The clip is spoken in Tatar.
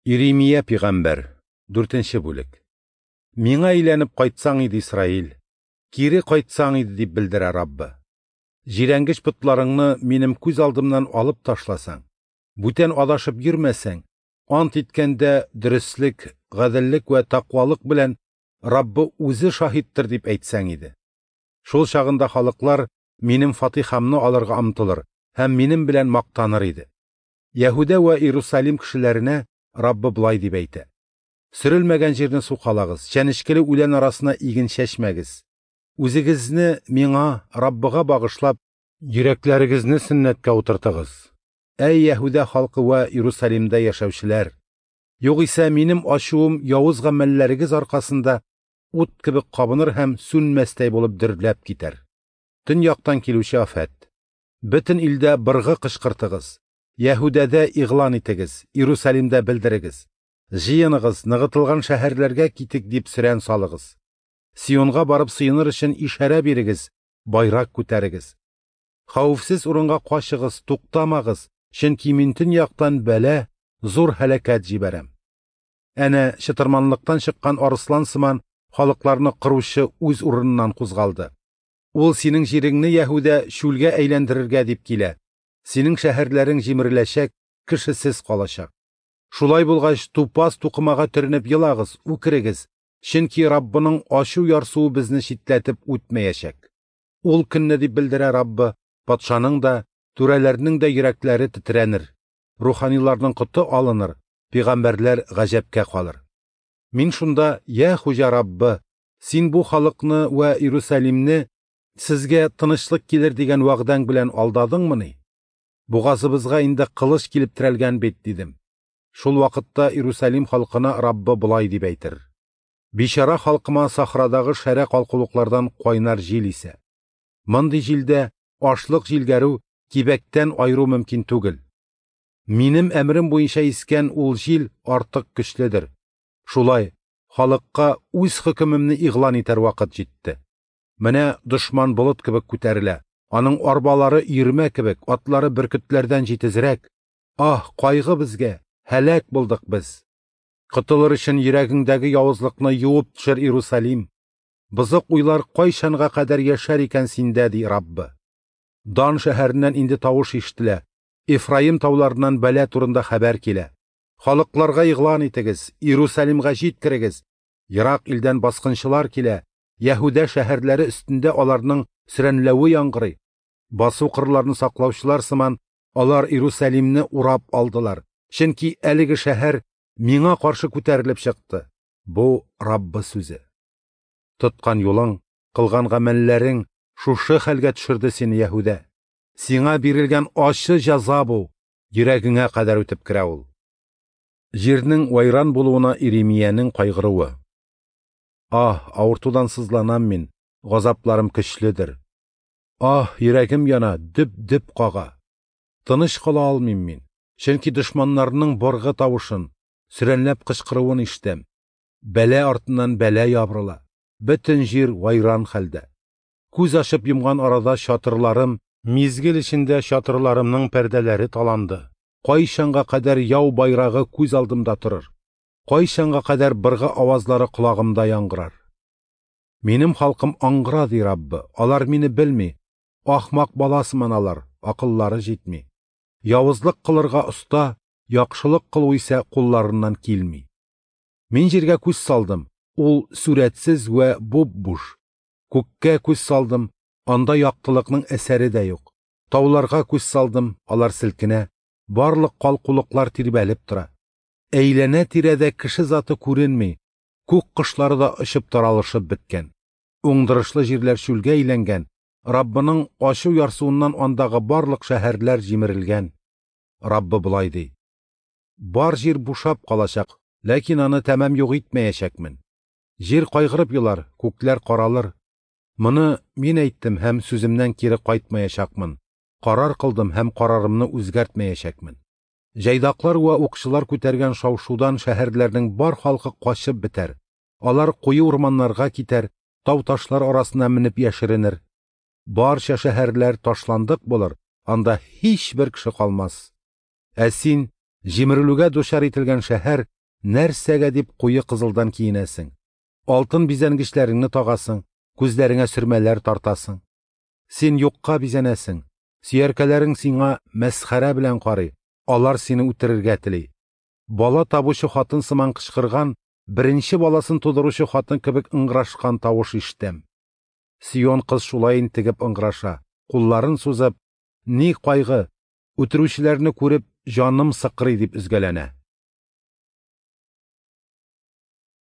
Иремия пигамбәр, 4 бүлек. Миңа әйләнеп кайтсаң иде, Исраил, кире кайтсаң иде, дип белдерә Раббы. Җирәнгеч потларыңны минем күз алдымнан алып ташласаң, бүтән адашып йөрмәсәң, ант иткәндә дөреслек, гаделлек вә тәкъвалык белән Раббы үзе шаһиттыр дип әйтсәң иде. Шул чагында халыклар минем фатихамны алырга омтылыр һәм минем белән мактаныр иде. Яһүдә вә Иерусалим кешеләренә Раббы болай дип әйтә: Сөрелмәгән җирне сукалагыз, чәнечкеле үлән арасына иген чәчмәгез. Үзегезне миңа, Раббыга багышлап, йөрәкләрегезне сөннәткә утыртыгыз. Әй Яһүдә халкы вә Иерусалимдә яшәүчеләр! Югыйсә минем ачуым явыз гамәлләрегез аркасында ут кебек кабыныр һәм сүнмәстәй булып дөрләп китәр. Төньяктан килүче афәт. Бөтен илдә быргы кычкыртыгыз. Яһүдәдә игълан итегез, Иерусалимдә белдерегез. Җыеныгыз, ныгытылган шәһәрләргә китик дип сөрән салыгыз. Сионга барып сыеныр өчен ишарә бирегез, байрак күтәрегез. Хәвефсез урынга качыгыз, туктамагыз, чөнки мин төньяктан бәла, зур һәлакәт җибәрәм. Әнә чытырманлыктан чыккан арыслан сыман халыкларны кыручы үз урыныннан кузгалды. Ул синең җиреңне Яһүдә чүлгә әйләндерергә дип килә. Синең шәһәрләрең җимереләчәк, кешесез калачак. Шулай булгач, тупас тукымага төренеп елагыз, үкерегез, чөнки Раббының ачу ярсуы безне читләтеп үтмәячәк. Ул көнне дип белдерә Раббы, патшаның да, түрәләрнең дә йөрәкләре тетрәнер, руханиларның коты алыныр, пәйгамбәрләр гаҗәпкә калыр. Мин шунда: "Я Хуҗа Раббы, син бу халыкны вә Иерусалимне сезгә тынычлык килер дигән вәгъдәң белән алдадыңмыни? Бугазыбызга инде кылыч килеп терәлгән бит", дидем. Шул вакытта Иерусалим халкына Раббы болай дип әйтер: Бичара халкыма сахрадагы шәрә калкулыклардан кайнар җил исә. Мондый җилдә ашлык җилгәрү, кибәктән айыру мөмкин түгел. Минем әмерем буенча искән ул җил артык көчледер. Шулай, халыкка үз хөкемемне игълан итәр вакыт җитте. Менә дошман болыт кебек күтәрелә. Аның арбалары өермә кебек, атлары бөркетләрдән җитезрәк. Аһ, кайгы безгә, һәлак булдык без. Котылыр өчен йөрәгеңдәге явызлыкны юып төшер, Иерусалим. Бозык уйлар кайчанга кадәр яшәр икән синдә, ди Раббы. Дан шәһәреннән инде тавыш ишетелә. Эфраим тауларыннан бәла турында хәбәр килә. Халыкларга игълан итегез, Иерусалимга җиткерегез. Ерак илдән баскынчылар килә. Яһүдә шәһәрләре өстендә аларның сөрәнләве яңгырый. Басу кырларын саклаучылар сыман алар Иерусалимны урап алдылар. Чөнки әлеге шәһәр миңа каршы күтәрелеп чыкты. Бу Раббы сүзе. Тоткан юлың, кылган гамәлләрең шушы хәлгә төшерде сине, Яһүдә. Сиңа бирелгән ачы җәза бу, йөрәгеңә кадәр үтеп керә ул. Җирнең вайран булуына Иремиянең кайгыруы. Аһ, авыртудан сызланам мин, газапларым көчледер. Аһ, йөрәгем яна, дөп-дөп кага. Тыныч кала алмыйм мин, чөнки дошманнарның боргы тавышын, сөрәнләп кычкыруын ишетәм. Бәла артыннан бәла ябырыла. Бөтен җир вайран хәлдә. Күз ачып йомган арада чатырларым, мизгел эчендә чатырларымның пәрдәләре таланды. Кайчанга кадәр яу байрагы күз алдымда торыр? Кайчанга кадәр быргы авазлары колагымда яңгырар? Минем халкым аңгыра, ди Раббы. Алар мине белми. Ахмак бала сыман алар, акыллары җитми. Явызлык кылырга оста, яхшылык кылу исә кулларыннан килми. Мин җиргә күз салдым, ул сүрәтсез вә буп-буш. Күккә күз салдым, анда яктылыкның әсәре дә юк. Тауларга күз салдым, алар селкенә, барлык калкулыклар тирбәлеп тора. Әйләнә-тирәдә кеше заты күренми, күк кошлары да очып таралышып беткән. Уңдырышлы җирләр чүлгә әйләнгән, Раббының ачу ярсуыннан андагы барлык шәһәрләр җимерелгән. Раббы болай ди: Бар җир бушап калачак, ләкин аны тәмам юк итмәячәкмен. Җир кайгырып елар, күкләр каралыр. Моны мин әйттем һәм сүземнән кире кайтмаячакмын. Карар кылдым һәм карарымны үзгәртмәячәкмен. Җайдаклар вә укчылар күтәргән шау-шудан шәһәрләрнең бар халкы качып бетәр. Алар куе урманнарга китәр, тау-ташлар арасына менеп яшеренер. Барча шәһәрләр ташландык булыр, анда һичбер кеше калмас. Ә син, җимерелүгә дучар ителгән шәһәр, Нәрсәгә дип куе кызылдан киенәсең, алтын бизәнгечләреңне тагасың, күзләреңә сөрмәләр тартасың? Син юкка бизәнәсең, сөяркәләрең сиңа мәсхәрә белән карый, алар сине үтерергә тели. Бала табучы хатын сыман кычкырган, беренче баласын тудыручы хатын кебек ыңгырашкан тавыш ишетәм. Сион кыз шулай интегеп ыңгыраша, кулларын сузып, «Ни кайгы, үтерүчеләрне күреп, җаным сыкрый», – дип өзгәләнә.